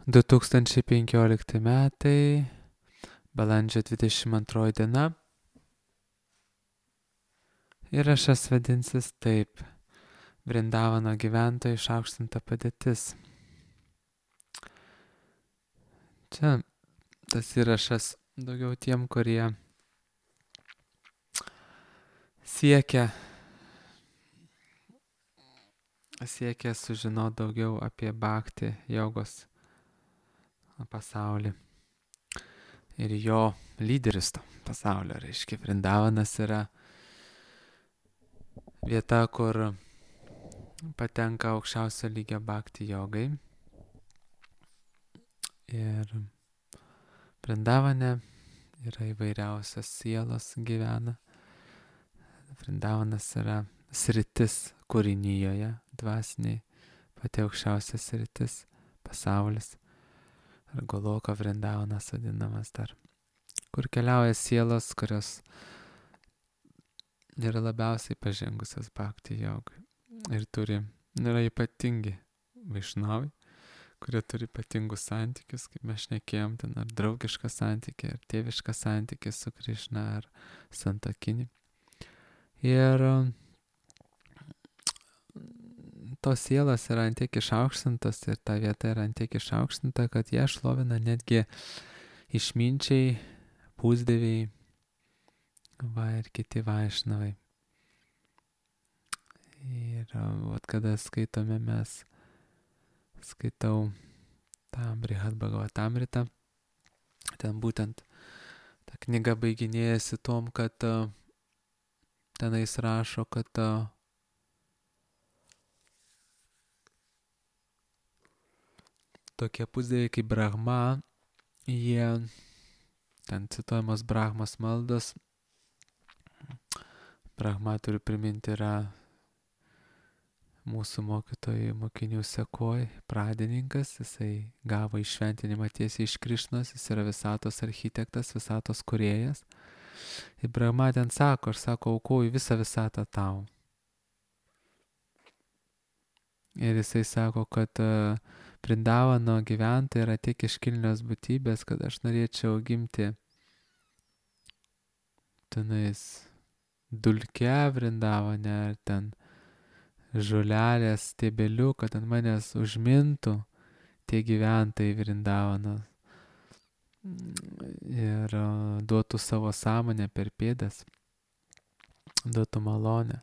2015 metai, balandžio 22 diena. Įrašas vadinsis taip: Vrindavano gyventojų išaukštinta padėtis. Čia tas įrašas daugiau tiem, kurie siekia sužinoti daugiau apie bhakti jogos pasaulį ir jo lyderis to pasaulio. Reiškia, Vrindavanas yra vieta, kur patenka aukščiausio lygio bhakti jogai. Ir Vrindavane yra įvairiausios sielos gyvena. Vrindavanas yra sritis kūrinyjoje, dvasiniai, pati aukščiausia sritis, pasaulis. Ar Goloka Vrindavanas vadinamas dar, kur keliauja sielos, kurios yra labiausiai pažengusios bhakti jogai. Ir yra ypatingi vaišnavai, kurie turi ypatingus santykius, kaip mes šnekėjom, ten ar draugišką santykį, ar tėvišką santykį su Krišna, ar santuokinį. Ir tos sielos yra ant tiek išaukštintos ir ta vieta yra ant tiek išaukštinta, kad ją šlovina netgi išminčiai, pusdieviai, ir kiti vaišnavai. Ir kada skaitau tą Brihad Bhagavatamritą, ten būtent ta knyga baiginėjasi tom, kad tenais rašo, kad tokie pusdieviai kaip Brahma, jie, ten cituojamos Brahmos maldos, Brahma, turiu priminti, yra mūsų mokinių sekoj, pradininkas, jisai gavo įšventinimą tiesiai iš Krišnos, jis yra visatos architektas, visatos kūrėjas. Ir Brahma ten sako, aš aukoju visą visatą tau. Ir jisai sako, kad Vrindavano gyventojai yra tiek iškilnios būtybės, kad aš norėčiau gimti tenais dulke Vrindavane, ar ten žolelės stiebeliu, kad ant manęs užmintų tie gyventojai Vrindavano ir duotų savo sąmonę per pėdas, duotų malonę.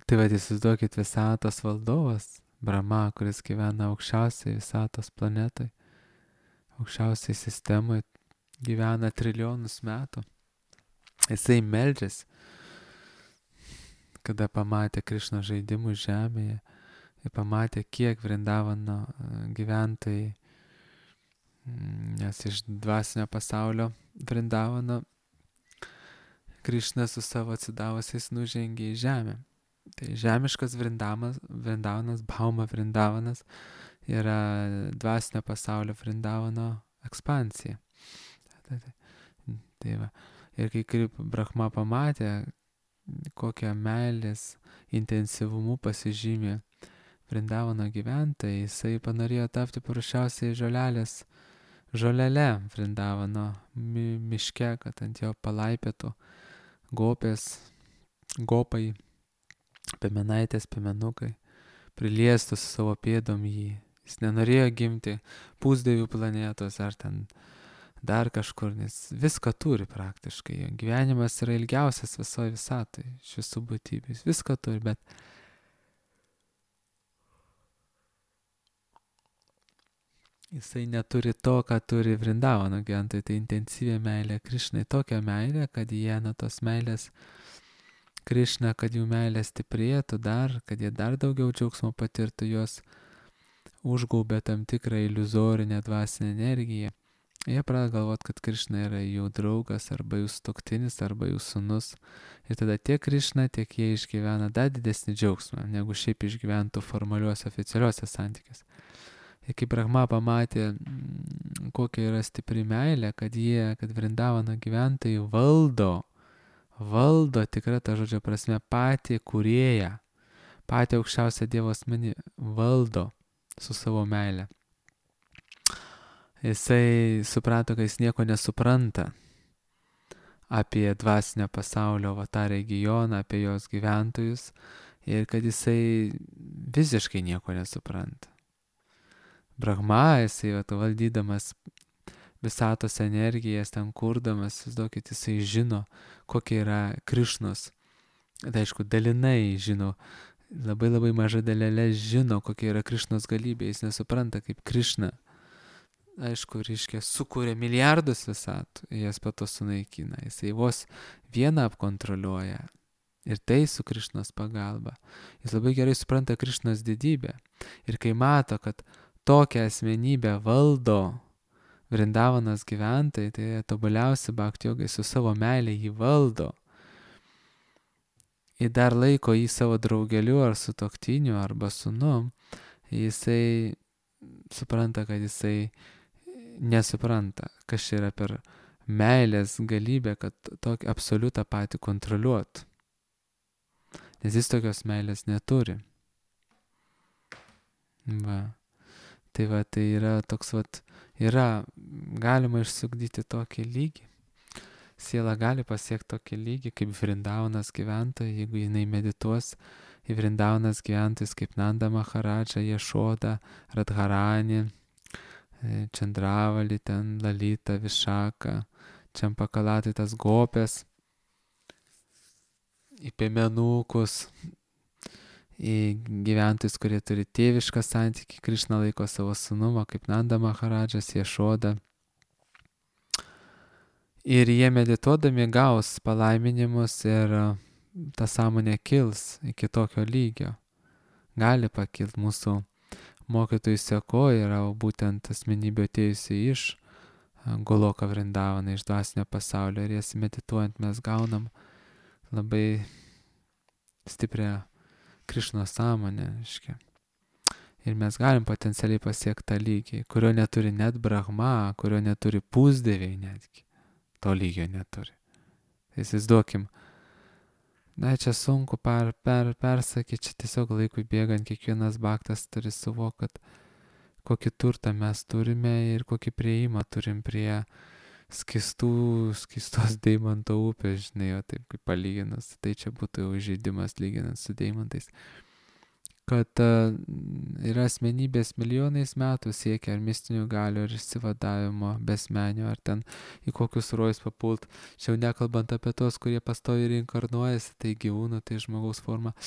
Tai įsivaizduokit, visatos valdovas, Brahma, kuris gyvena aukščiausiai visatos planetai, aukščiausiai sistemai, gyvena trilijonus metų. Jisai meldžiasi, kada pamatė Krišno žaidimų žemėje ir pamatė, kiek Vrindavano gyventojai, nes iš dvasinio pasaulio Vrindavano Krišna su savo atsidavusiais nužengė į žemę. Tai žemiškas Vrindavanas, Bhauma Vrindavanas, yra dvasinio pasaulio Vrindavano ekspansija. Tai va. Ir kai Brahma pamatė, kokią meilės intensyvumu pasižymė Vrindavano gyventojai, jisai panorėjo tapti paprasčiausiai žolele Vrindavano miške, kad ant jo palaipėtų gopai, piemenaitės, piemenukai, priliestų su savo pėdom jį. Jis nenorėjo gimti pusdievių planetos ar ten dar kažkur, nes viską turi praktiškai. Gyvenimas yra ilgiausias visoje visatoje, iš visų būtybių. Jis viską turi, bet jisai neturi to, ką turi Vrindavano gyventojai. Tai intensyvė meilė Krišnai, tokia meilė, kad jie nuo tos meilės Krišna, kad jų meilė stiprėtų dar, kad jie dar daugiau džiaugsmo patirtų, jos užgaubė tam tikrą iliuzorinę dvasinę energiją. Jie pradeda galvoti, kad Krišna yra jų draugas, arba jų sutuoktinis, arba jų sūnus. Ir tada tiek Krišna, tiek jie išgyvena dar didesnį džiaugsmą, negu šiaip išgyventų formaliuose, oficialiuose santykiuose. Ir kai Brahma pamatė, kokia yra stipri meilė, kad Vrindavano gyventojai valdo tikrą tą žodžio prasme patį kūrėją, patį aukščiausią Dievo asmenį valdo su savo meile. Jisai suprato, kad jis nieko nesupranta apie dvasinio pasaulio tą regioną, apie jos gyventojus ir kad jisai visiškai nieko nesupranta. Brahma, jisai valdydamas visatos energijas, ten kurdamas, įsivaizduokit, jisai žino, kokia yra Krišnos. Tai aišku, dalinai žino, labai maža dalelė žino, kokia yra Krišnos galybė, jis nesupranta, kaip Krišna, aišku, reiškia, sukūrė milijardus visatų, jas pato sunaikina, jisai vos vieną apkontroliuoja. Ir tai su Krišnos pagalba. Jis labai gerai supranta Krišnos didybę. Ir kai mato, kad tokią asmenybę valdo Vrindavanos gyventojai, tai tobuliausi bhakti jogai su savo meilė jį valdo. Ir dar laiko jį savo draugeliu ar sutuoktiniu arba sūnum, jisai supranta, kad jisai nesupranta, kas čia yra per meilės galybę, kad tokį absoliutą patį kontroliuotų. Nes jis tokios meilės neturi. Tai yra toks galima išsugdyti tokį lygį. Siela gali pasiekti tokį lygį, kaip Vrindavanos gyventojai, jeigu jinai medituos į Vrindavanos gyventojus kaip Nanda Maharadža, Ješoda, Radharani, Čandravali, ten Lalita, Višaka, Čampakalatai, tas gopės, į piemenukus, į gyventojus, kurie turi tėvišką santykį, Krišna laiko savo sūnumą, kaip Nanda Maharadžas, Ješoda. Ir jie medituodami gaus palaiminimus ir ta sąmonė kils iki tokio lygio. Gali pakilti mūsų mokytojų seko, yra būtent asmenybė atėjusi iš Goloka Vrindavana, iš dvasinio pasaulio. Ir jas medituojant mes gaunam labai stiprią Krišnos sąmonę, reiškia. Ir mes galim potencialiai pasiekti tą lygį, kurio neturi net Brahma, kurio neturi pusdieviai netgi. To lygio neturi. Įsivaizduokim. Čia sunku persakyti, čia tiesiog laikui bėgant kiekvienas bhaktas turi suvokti, kokį turtą mes turime ir kokį prieimą turim prie skystos deimanto upės, žinai, o taip kaip palyginus. Tai čia būtų jau žaidimas lyginant su deimantais. Kad yra asmenybės milijonais metų siekia ar mistinių galių, ar išsivadavimo, besmenio, ar ten į kokius rojus papult. Čia jau nekalbant apie tos, kurie pastoviai reinkarnuojasi, tai gyvūnų, tai žmogaus forma.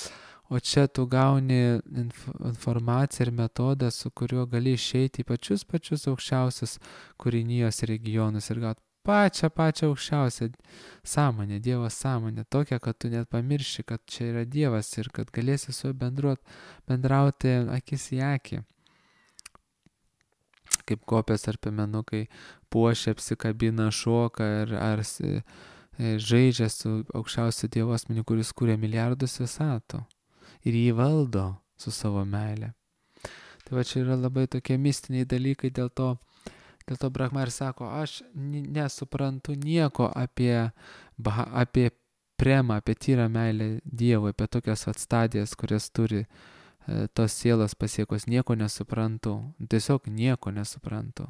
O čia tu gauni informaciją ir metodą, su kuriuo gali išeiti į pačius aukščiausius kūrinijos regionus ir gauti pačią aukščiausią sąmonę, Dievo sąmonę, tokią, kad tu net pamirši, kad čia yra Dievas ir kad galėsi su juo bendrauti akis į akį. Kaip kopės ar piemenukai puošia, apsikabina, šoka ar žaidžia su aukščiausiu Dievo asmeniu, kuris kūrė milijardus visatų ir jį valdo su savo meile. Tai čia yra labai tokie mistiniai dalykai, dėl to Brahma ir sako, aš nesuprantu nieko apie premą, apie tyrą meilę Dievui, apie tokias stadijas, kurias turi tos sielos pasiekos, nieko nesuprantu, tiesiog nieko nesuprantu.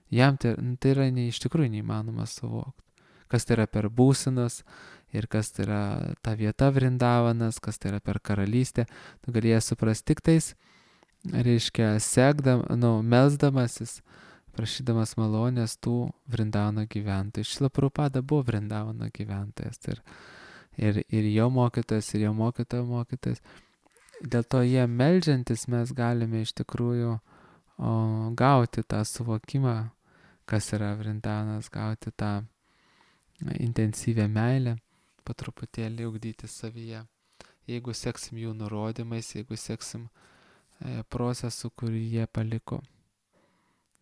Jam tai yra iš tikrųjų neįmanoma suvokti, kas tai yra per būsenas ir kas tai yra ta vieta Vrindavanas, kas tai yra per karalystę, tu galėjai suprasti tik tais, reiškia, melsdamasis, prašydamas malonės tų Vrindavano gyventojų. Šrila Prabhupada buvo Vrindavano gyventojas ir jo mokytojas, ir jo mokytojo mokytojas. Dėl to jie meldžiantis mes galime iš tikrųjų gauti tą suvokimą, kas yra Vrindavanas, gauti tą intensyvę meilę, po truputėlį ugdyti savyje. Jeigu seksim jų nurodymais, jeigu seksim procesu, kurį jie paliko.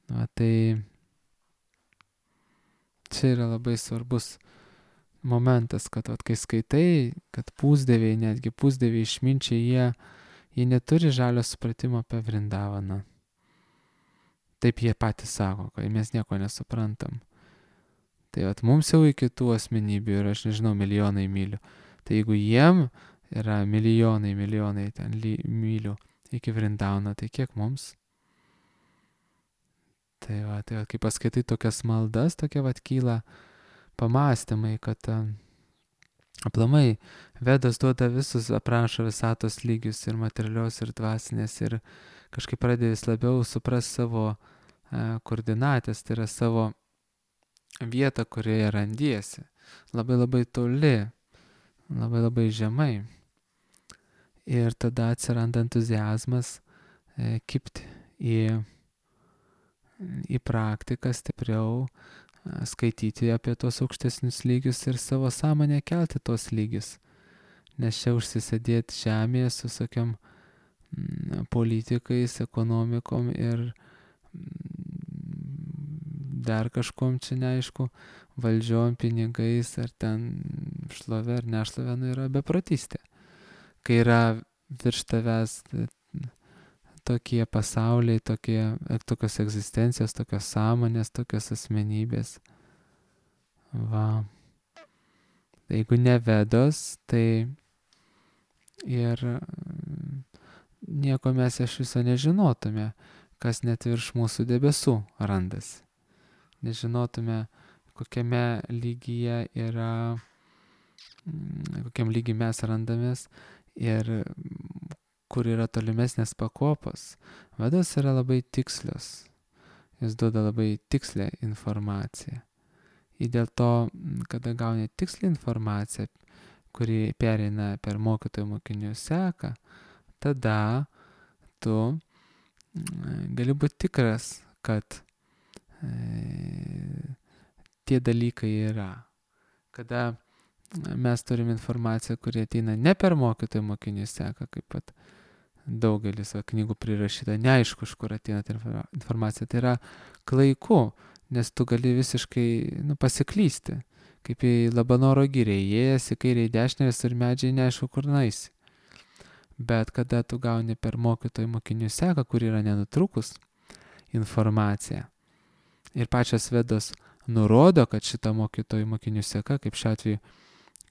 Tai čia yra labai svarbus momentas, kad kai skaitai, kad pusdieviai, netgi pusdieviai išminčiai, jie neturi žalio supratimo apie Vrindavaną. Taip jie patys sako, kad mes nieko nesuprantam. Tai mums jau iki tų asmenybių ir aš nežinau, milijonai mylių. Tai jeigu jiem yra milijonai ten mylių iki Vrindauno, tai kiek mums? Tai va, kai paskaitai tokias maldas, tokie vat kyla pamastymai, kad aplamai Vedas duoda visus, aprašo visatos lygius ir materialios, ir dvasinės, ir kažkaip pradeda vis labiau supras savo koordinatės, tai yra savo vietą, kurioje randiesi. Labai labai toli, labai labai žemai. Ir tada atsiranda entuziazmas kipti į praktiką stipriau, skaityti apie tos aukštesnius lygius ir savo sąmonę kelti tos lygius. Nes čia užsisėdėti žemėje su tokiam politikais, ekonomikom ir dar kažkom čia neaišku, valdžiom, pinigais, ar ten šlovė ar nešlovė, yra beprotystė. Kai yra virš tavęs tokie pasauliai, tokios egzistencijos, tokios sąmonės, tokios asmenybės. Va. Jeigu ne Vedos, tai ir nieko mes iš viso nežinotume, kas net virš mūsų debesų randasi. Nežinotume, kokiame lygyje yra, kokiam lygiai mes randamės ir kur yra tolimesnės pakopos. Vedos yra labai tikslios. Jis duoda labai tikslę informaciją. Ir dėl to, kada gauni tikslę informaciją, kuri pereina per mokytojų mokinių seką, tada tu gali būti tikras, kad tie dalykai yra. Kada mes turim informaciją, kuri ateina ne per mokytojų mokinių seką, kaip pat daugelis knygų prirašyta, neaišku, iš kur ateina ta informacija. Tai yra klaiku, nes tu gali visiškai pasiklysti, kaip į Labanoro girią, įėjęs į kairę į dešinę ir medžiai neaišku, kur naisi. Bet kada tu gauni per mokytojų mokinių seką, kur yra nenutrukus informacija, ir pačios Vedos nurodo, kad šita mokytojų mokinių seka, kaip šiuo atveju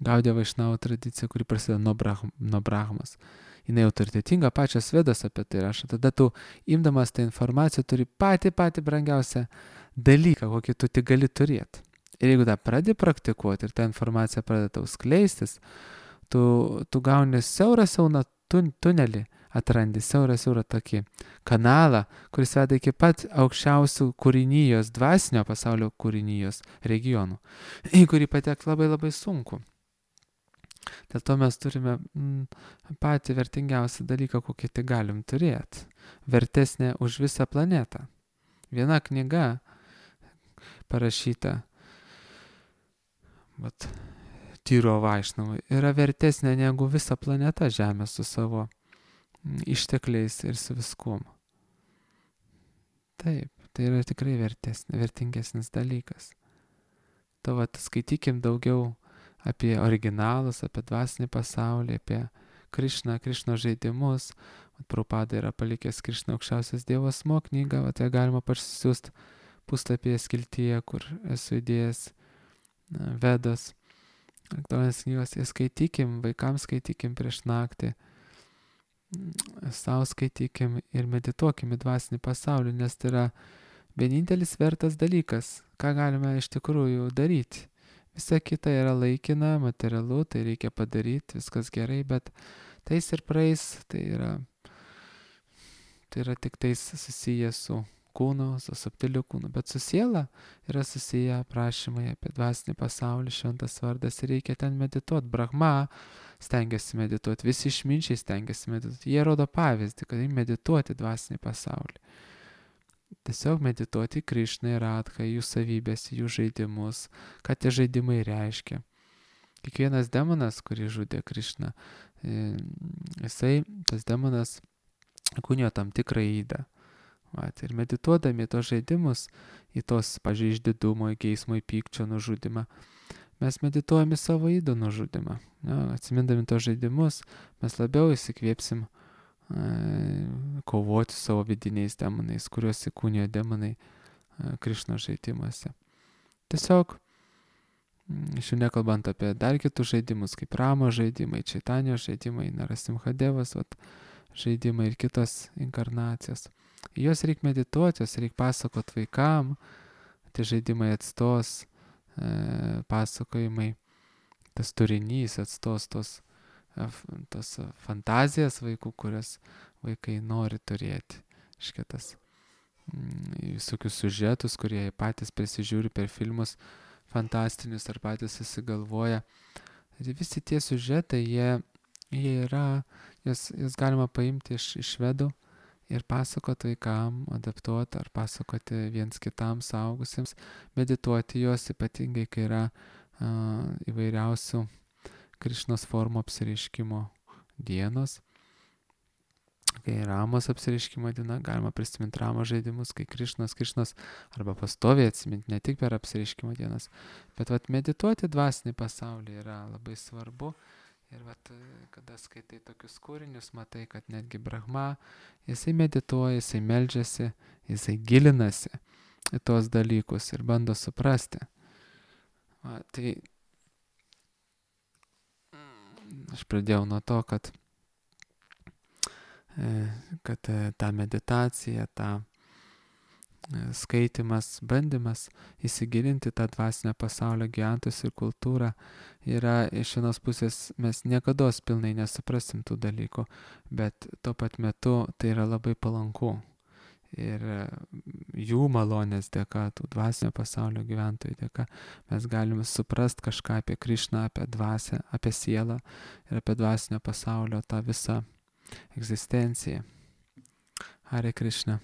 Gaudijo Vaišnavo tradicija, kuri prasideda nuo Brahmos, jinai autoritetinga, pačios Vedos apie tai rašo. Tada tu, imdamas tą informaciją, turi patį brangiausią dalyką, kokį tu tik gali turėti. Ir jeigu tą pradedi praktikuoti ir ta informacija pradeda tau skleistis, tu gauni siaurą tunelį, atrandi siaurą tokį kanalą, kuris veda iki pat aukščiausių kūrinijos, dvasinio pasaulio kūrinijos regionų, į kurį patekti labai labai sunku. Dėl to mes turime patį vertingiausią dalyką, kokį tik galim turėti. Vertesnė už visą planetą. Viena knyga parašyta Tyro Vaišnavai yra vertesnė negu visa planeta Žemė su savo ištekliais ir su viskuom. Taip, tai yra tikrai vertingesnis dalykas. To skaitykim daugiau apie originalus, apie dvasinį pasaulį, apie Krišną žaidimus. Prabhupada yra palikęs Krišną aukščiausias Dievo asmuo knygą, ją galima parsisiųsti puslapyje skiltyje, kur esu įdėjęs Vedos. Aktualinės knygos, skaitykim, vaikams skaitykim prieš naktį, savo skaitykim ir medituokim į dvasinį pasaulį, nes tai yra vienintelis vertas dalykas, ką galime iš tikrųjų daryti. Visa kita yra laikina, materialu, tai reikia padaryti, viskas gerai, bet tais ir praeis, tai yra tik tais susiję su kūnu, su subtiliu kūnu, bet su siela yra susiję prašymai apie dvasinį pasaulį, šventas vardas ir reikia ten medituoti. Brahma stengiasi medituoti, visi išminčiai stengiasi medituoti, jie rodo pavyzdį, kad medituoti dvasinį pasaulį. Tiesiog medituoti Krišną ir Radhą, jų savybės, jų žaidimus, ką tie žaidimai reiškia. Kiekvienas demonas, kurį žudė Krišną, tas demonas kūnijo tam tikrą ydą. Ir medituodami tos žaidimus, į tos, pavyzdžiui, išdidumo, į geismo, į pykčio nužudimą, mes medituojame savo ydo nužudimą. Atsimindami tos žaidimus, mes labiau įsikvėpsim kovoti savo vidiniais demonais, kuriuos įkūnijo demonai Krišnos žaidimuose. Tiesiog Iš jų nekalbant apie dar kitus žaidimus, kaip Ramo žaidimai, Čaitanijos žaidimai, Narasimhadevas žaidimai ir kitos inkarnacijos. Jos reikia medituoti, jos reikia pasakot vaikam, tie žaidimai atstos, pasakojimai, tas turinys atstos tos fantazijas vaikų, kurias vaikai nori turėti. Iškitas visokius siužetus, kurie patys prisižiūri per filmus fantastinius ar patys susigalvoja. Ir visi tie siužetai, jie yra, jas galima paimti iš švedų ir pasakoti vaikam, adaptuoti ar pasakoti viens kitam suaugusiems, medituoti juos, ypatingai kai yra įvairiausių Krišnos formų apsireiškimo dienos. Kai Ramos apsireiškimo diena, galima prisiminti Ramos žaidimus, kai Krišnos arba pastoviai atsiminti, ne tik per apsireiškimo dienas, bet medituoti dvasinį pasaulį yra labai svarbu. Ir kada skaitai tokius kūrinius, matai, kad netgi Brahma, jisai medituoja, jisai meldžiasi, jisai gilinasi į tuos dalykus ir bando suprasti. Tai aš pradėjau nuo to, kad ta meditacija, ta skaitimas, bandymas įsigilinti tą dvasinę pasaulio gyventojus ir kultūrą yra iš vienos pusės mes niekados pilnai nesuprasim tų dalykų, bet tuo pat metu tai yra labai palanku. Ir jų malonės dėka, tų dvasinio pasaulio gyventojų dėka, mes galime suprast kažką apie Krišną, apie dvasią, apie sielą ir apie dvasinio pasaulio tą visą egzistenciją. Hare Krishna.